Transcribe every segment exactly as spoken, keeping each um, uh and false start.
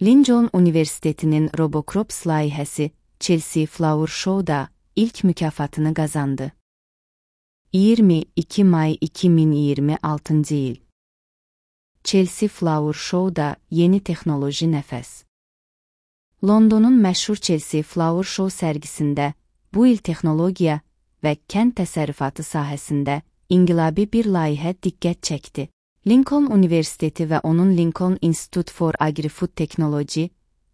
Lincoln Universitetinin RoboCrops layihəsi Chelsea Flower Show'da ilk mükafatını qazandı. iyirmi iki may iki min iyirmi altıncı il. Chelsea Flower Show'da yeni texnoloji nəfəs. Londonun məşhur Chelsea Flower Show sərgisində bu il texnologiya və kənd təsərrüfatı sahəsində inqilabi bir layihə diqqət çəkdi. Lincoln Universiteti və onun Lincoln Institute for Agri-Food Technology,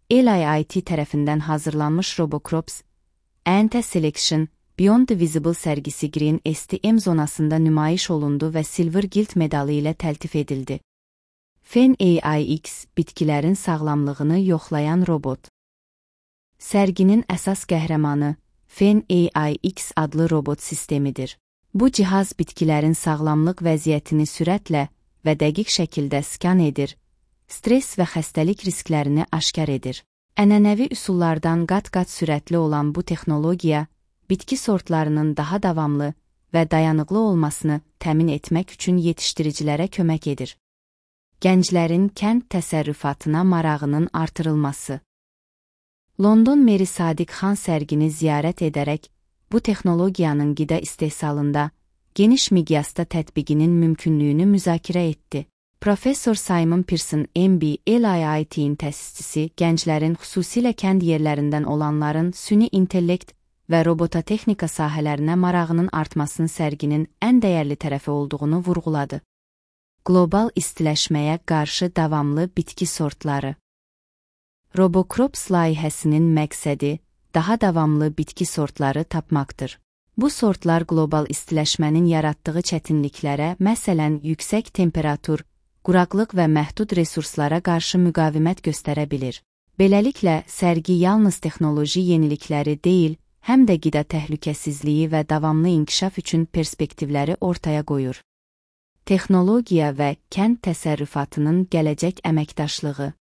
L I I T tərəfindən hazırlanmış RoboCrops, Ant Selection, Beyond the Visible sərgisi Green S T M zonasında nümayiş olundu və Silver Guild medalı ilə təltif edildi. Fen A I X, bitkilərin sağlamlığını yoxlayan robot. Sərginin əsas qəhrəmanı Fen A I X adlı robot sistemidir. Bu cihaz bitkilərin sağlamlıq vəziyyətini sürətlə və dəqiq şəkildə skan edir, stres və xəstəlik risklərini aşkar edir. Ənənəvi üsullardan qat-qat sürətli olan bu texnologiya, bitki sortlarının daha davamlı və dayanıqlı olmasını təmin etmək üçün yetişdiricilərə kömək edir. Gənclərin kənd təsərrüfatına marağının artırılması. London Meri Sadiq Xan sərgini ziyarət edərək, bu texnologiyanın qida istehsalında geniş miqyasda tətbiqinin mümkünlüyünü müzakirə etdi. Professor Simon Pearson M B L I I T'in təsisçisi gənclərin, xüsusilə kənd yerlərindən olanların süni intellekt və robototexnika sahələrinə marağının artmasının sərginin ən dəyərli tərəfi olduğunu vurğuladı. Qlobal istiləşməyə qarşı davamlı bitki sortları. RoboCrops layihəsinin məqsədi daha davamlı bitki sortları tapmaqdır. Bu sortlar qlobal istiləşmənin yaratdığı çətinliklərə, məsələn, yüksək temperatur, quraqlıq və məhdud resurslara qarşı müqavimət göstərə bilir. Beləliklə, sərgi yalnız texnoloji yenilikləri deyil, həm də qida təhlükəsizliyi və davamlı inkişaf üçün perspektivləri ortaya qoyur. Texnologiya və kənd təsərrüfatının gələcək əməkdaşlığı.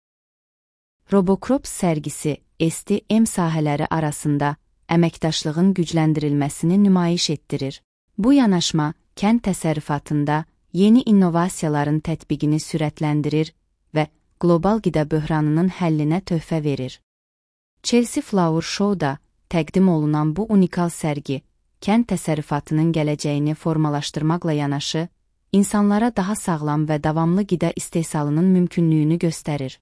RoboCrops sərgisi S T M sahələri arasında əməkdaşlığın gücləndirilməsini nümayiş etdirir. Bu yanaşma, kənd təsərrüfatında yeni innovasiyaların tətbiqini sürətləndirir və qlobal qida böhranının həllinə töhfə verir. Chelsea Flower Show'da təqdim olunan bu unikal sərgi, kənd təsərrüfatının gələcəyini formalaşdırmaqla yanaşı, insanlara daha sağlam və davamlı qida istehsalının mümkünlüyünü göstərir.